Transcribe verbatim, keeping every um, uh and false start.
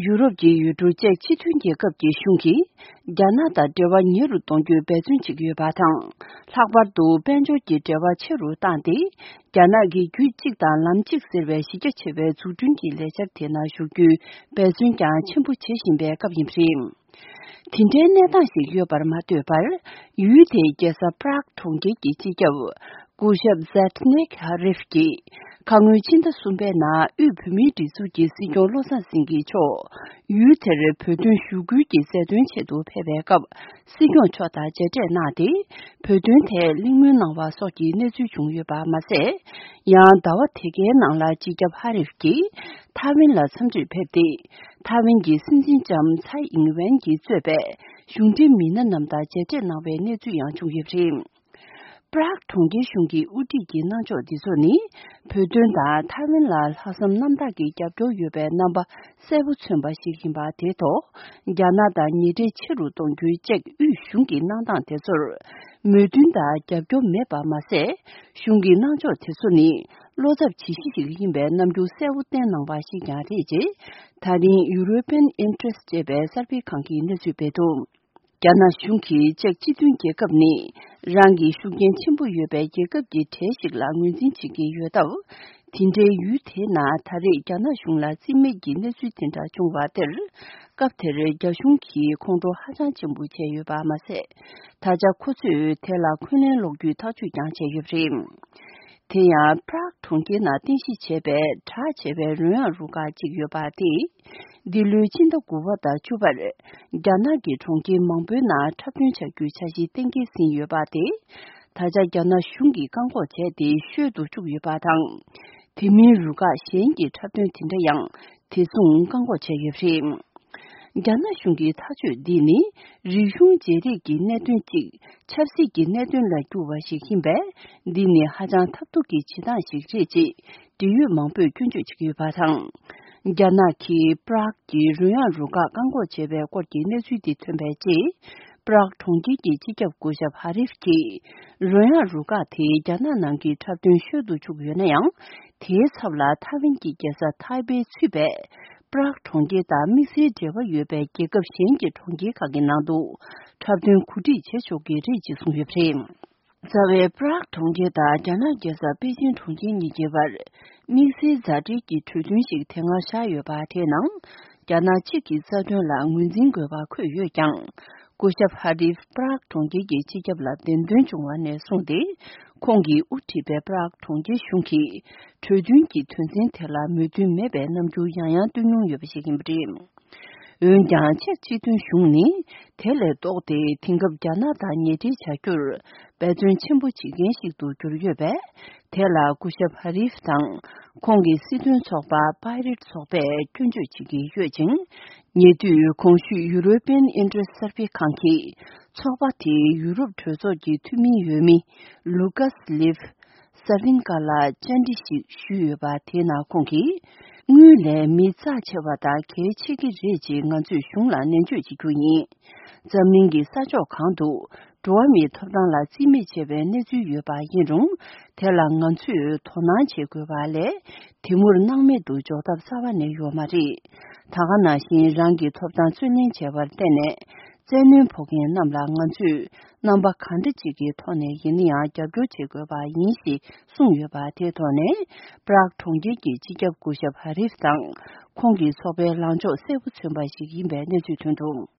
ཡུ་རོབ་ཀྱི་ཡུལ་གྲུ་ཅེཀ་སྤྱི་མཐུན་རྒྱལ་ཁབ་ཀྱི་གཞུང་གིས་རྒྱ་ནག་དང་འབྲེལ་བ་ཉེ་རུ་གཏོང་རྒྱུའི་འབད་བརྩོན་བྱེད་ཀྱི་ཡོད་པ་དང་། ལྷག་པར་དུ་དཔལ་འབྱོར་གྱི་འབྲེལ་བ་ཆེ་རུ་བཏང་སྟེ། རྒྱ་ནག་གི་རྒྱུད་གཅིག་དང་ལམ་གཅིག་ཟེར་བའི་གཞི་རྒྱ་ཆེ་བའི་འཛུགས་སྐྲུན་གྱི་ལས་འཆར་དེ་ནང་ཞུགས་རྒྱུའི་འབད་བརྩོན་ཀྱང་ཆེན་པོ་བྱེད་བཞིན་པའི་སྐབས་ཡིན་པ་རེད། དེ་འདྲའི་གནས་སྟངས་ཤིག་ཡོད་པར་མ་ལྟོས་པར། ཡུལ་དེའི་རྒྱལ་ས་པྲག་གྲོང་ཁྱེར་གྱི་སྤྱི་ཁྱབ་སྐུ་ཞབས་ཛེ་ཏི་ནེག་ཧ་རིབ་ཀྱིས། ཁ་སྔོན་ཕྱི་ཟླ་གསུམ་པའི་ནང་དབུས་བོད་མིའི་སྒྲིག་འཛུགས་ཀྱི་སྲིད་སྐྱོང་བློ་བཟང་སེང་གེ་མཆོག་ཡུལ་དེར་བོད་དོན་ཞུ་སྐུལ་གྱི་མཛད་དོན་ཆེད་དུ་ཕེབས་པའི་སྐབས། སྲིད་སྐྱོང་མཆོག་དང་མཇལ་འཕྲད་གནང་སྟེ། བོད་དོན་ཐད་གླེང་མོལ་གནང་བ་སོགས་ཀྱི་གནས་ཚུལ་བྱུང་ཡོད་པ་མ་ཟད། ཡང་ཟླ་བ་དེ་གའི་ནང་ལ་སྤྱི་ཁྱབ་ཧ་རིབ་ཀྱིས་ཐའེ་ཝན་ལ་འཚམས་འདྲིར་ཕེབས་ཏེ། ཐའེ་ཝན་གྱི་སྲིད་འཛིན་ལྕམ་ཚའེ་ཨིང་ཝེན་གྱིས་གཙོས་པའི་གཞུང་འབྲེལ་མི་སྣ་རྣམས་དང་མཇལ་འཕྲད་གནང་བའི་གནས་ཚུལ་ཡང་བྱུང་ཡོད་པ་རེད། པྲག་གྲོང་ཁྱེར་གཞུང་གིས་དབུ་ཁྲིད་ཀྱི་གནང་ཕྱོགས་འདི་ཚོ་ནི། བོད་དོན་དང་ཐའེ་ཝན་ལ་ལྷག་བསམ་རྣམ་དག་གི་རྒྱབ་སྐྱོར་ཡོད་པའི་རྣམ་པ་གསལ་པོ་མཚོན་པ་ཞིག་ཡིན་པ་དེ་ཐོག་རྒྱ་ནག་དང་ཉེ་འབྲེལ་ཆེ་རུ་གཏོང་རྒྱུའི་ཅེཀ་དབུས་གཞུང་གི་གནང་སྟངས་དེ་ཚོར་མོས་མཐུན་དང་རྒྱབ་སྐྱོར་མེད་པ་མ་ཟད། གཞུང་གི་གནང་ཕྱོགས་དེ་ཚོ་ནི་བློ་འཚབ་བྱེད་གཞི་ཞིག་ཡིན་པའི་རྣམ་འགྱུར་གསལ་པོ་བསྟན་གནང་བ་ཞིག་ཀྱང་རེད་ཅེས། ད་རིང་European Interest ཅེས་པའི་གསར་སྤེལ་ཁང་གིས་གནས་ཚུལ་སྤེལ་འདུག་རྒྱ་ནག་གཞུང་གིས་ཅེཀ་སྤྱི་མཐུན་རྒྱལ་ཁབ་ནི་རང་གི་ཤུགས་རྐྱེན་ཆེན་པོ་ཡོད་པའི་རྒྱལ་ཁབ་ཀྱི་གྲས་ཤིག་ལ་ངོས་འཛིན་བྱེད་ཀྱི་ཡོད་སྟབས། དེ་འདྲའི་ཡུལ་དེའི་ནང་ད་རེས་རྒྱ་ནག་གཞུང་ལ་རྩིས་མེད་ཀྱི་གནས་ཚུལ་དེ་འདྲ་བྱུང་བ་དེར། སྐབས་དེར་རྒྱ་གཞུང་གིས་ཁོང་ཁྲོ་ཧ་ཅང་ཆེན་པོ་བྱས་ཡོད་པ་མ་ཟད། ད་ཆ་ཁོ་ཚོས་དེ་ལ་འཁོན་ལན་སློག་རྒྱུའི་ཐག་གཅོད་ཀྱང་བྱས་ཡོད་པ་རེད། དེ་ཡང་པྲག་གྲོང་ཁྱེར་ནང་རྟེན་གཞི་བྱས་པའི་གྲགས་ཆེ་བའི་རོལ་དབྱངས་རུ་ཁག་ཅིག་ཡོད་པ་དེས། འདི་ལོའི་ཕྱི་ཟླ་དགུ་པ་དང་བཅུ་པར། རྒྱ་ནག་གི་གྲོང་ཁྱེར་མང་པོའི་ནང་འཁྲབ་སྟོན་བྱ་རྒྱུའི་འཆར་གཞི་གཏན་འཁེལ་ཟིན་ཡོད་པ་དེ། ད་ཆ་རྒྱ་ནག་གཞུང་གིས་བཀག་འགོག་བྱས་ཏེ་ཤོད་དུ་བཅུག་ཡོད་པ་དང་། དེ་མིན་རུ་ཁག་གཞན་གྱི་འཁྲབ་སྟོན་དེ་འདྲ་ཡང་དེ་མཚུངས་བཀག་འགོག་བྱས་ཡོད་པ་རེད། རྒྱ་ནག་གཞུང་གི་ཐག་གཅོད་འདི་ནི་རིག་གཞུང་བརྗེ་རེས་ཀྱི་གནད་དོན་གཅིག་ཆབ་སྲིད་ཀྱི་གནད་དོན་ལ་བསྒྱུར་བ་ཞིག་ཡིན་པས། འདི་ནི་ཧ་ཅང་ཐབས་སྡུག་གི་བྱེད་སྟངས་ཤིག་རེད་ཅེས་འབྲེལ་ཡོད་མང་པོས་སྐྱོན་བརྗོད་བྱེད་ཀྱི་ཡོད་པ་དང་། རྒྱ་ནག་གིས་པྲག་གི་རོལ་དབྱངས་རུ་ཁག་བཀག་འགོག་བྱས་པའི་སྐོར་གྱི་གནས་ཚུལ་འདི་ཐོན་པའི་རྗེས། པྲག་གྲོང་ཁྱེར་གྱི་སྤྱི་ཁྱབ་སྐུ་ཞབས་ཧ་རིབ་ཀྱིས། རོལ་དབྱངས་རུ་ཁག་དེ་རྒྱ་ནག་ནང་གི་འཁྲབ་སྟོན་ཤོད་དུ་བཅུག་ཡོད་ན་ཡང་། དེའི་ཚབ་ལ་ཐའེ་ཝན་གྱི་རྒྱལ་ས་ཐའེ་པེ་ཚུད་པའི་པྲག་གྲོང་ཁྱེར་དང་དམིགས་བསལ་འབྲེལ་བ་ཡོད་པའི་རྒྱལ་ཁབ་གཞན་གྱི་གྲོང་ཁྱེར་ཁག་གི་ནང་དུ་འཁྲབ་སྟོན་གོ་སྒྲིག་བྱེད་ཆོག་གི་རེད་ཅེས་གསུངས་ཡོད་པ་རེད། རྩ་བའི་པྲག་གྲོང་ཁྱེར་དང་རྒྱ་ནག་རྒྱལ་ས་པེ་ཅིང་གྲོང་ཁྱེར་གཉིས་ཀྱི་བར་དམིགས་བསལ་མཛའ་འབྲེལ་གྱི་གྲོས་མཐུན་ཞིག་དེ་སྔ་བཞག་ཡོད་པ་དེའི་ནང་རྒྱ་ནག་གཅིག་གི་རྩ་དོན་ལ་ངོས་འཛིན་དགོས་པ་འཁོད་ཡོད་ཀྱང་། སྐུ་ཞབས་ཧ་རིབ་པྲག་གྲོང་ཁྱེར་གྱི་སྤྱི་ཁྱབ་ལ་འདེམས་ཐོན་བྱུང་བ་ནས་བཟུང་སྟེ། ཁོང་གིས་དབུ་ཁྲིད་པའི་པྲག་གྲོང་ཁྱེར་གཞུང་གིས་གྲོས་མཐུན་གྱི་དོན་ཚན་དེ་ལ་མོས་མཐུན་མེད་པའི་རྣམ་འགྱུར་ཡང་ཡང་སྟོན་མྱོང་ཡོད་པ་ཞིག་ཡིན་པ་རེད། འོན་ཀྱང་ཅེཀ་སྤྱི་མཐུན་གཞུང་ནི་དེ་ལས་ལྡོག་སྟེ་དེང་སྐབས་རྒྱ་ནག་དང་ཉེ་འབྲེལ་བྱ་རྒྱུར་འབད་བརྩོན་ཆེན་པོ་བྱེད་མཁན་ཞིག་ཏུ་གྱུར་ཡོད་པས། དེ་ལ་སྐུ་ཞབས་ཧ་རིབ་དང་ཁོང་གི་སྲིད་དོན་ཚོགས་པ་པའི་རེཊ་ཚོགས་པས་སྐྱོན་བརྗོད་བྱེད་ཀྱི་ཡོད་ཅིང་། ཉེ་དུས་གོང་ཞུས་European Interest གསར་སྤེལ་ཁང་གིས་ཚོགས་པ་དེའི་ཡུ་རོབ་གྲོས་ཚོགས་ཀྱི་འཐུས་མི་འོས་མི་ལུ་ཀཱས་ལིབ། སར་བིན་ཀ་ལ་བཅར་འདྲི་ཞིག་ཞུས་ཡོད་པ་དེའི་ནང་ཁོང་གིས། དངུལ་ལས་མི་རྩ་ཆེ་བ་དང་གལ་ཆེ་གི་རེད་ཅེས་ང་ཚོས་གཞུང་ལ་ནན་བརྗོད་བྱེད་རྒྱུ་ཡིན། འཛམ་གླིང་གི་ས་ཕྱོགས་གང་དུ་འགྲོ་བ་མིའི་ཐོབ་ཐང་ལ་རྩིས་མེད་བྱས་པའི་གནས་ཚུལ་ཡོད་པ་ཡིན་རུང་། དེ་ལ་ང་ཚོས་དོ་སྣང་བྱེད་དགོས་པ་ལས། དེ་མུར་སྣང་མེད་དུ་འཇོག་ཐབས་རྩ་བ་ནས་ཡོད་མ་རེད། ད་ག་ནང་བཞིན་རང་གི་ཐོབ་ཐང་རྩོད་ལེན་བྱས་པར་བརྟེན་ནས། བཙན་གནོན་ཕོག་མཁན་རྣམས་ལ་ང་ཚོས་རྣམ་པ་གང་འདྲ་ཅིག་གི་ཐོག་ནས་ཡིན་ན་ཡང་རྒྱབ་སྐྱོར་བྱེད་དགོས་པ་ཡིན་ཞེས་གསུངས་ཡོད་པ་དེའི་ཐོག་ནས། པྲག་གྲོང་ཁྱེར་གྱི་སྤྱི་ཁྱབ་སྐུ་ཞབས་ཧ་རིབ་དང་ཁོང་གི་ཚོགས་པའི་ལངས་ཕྱོགས་གསལ་པོ་མཚོན་པ་ཞིག་ཡིན་པའི་གནས་ཚུལ་ཐོན་འདུག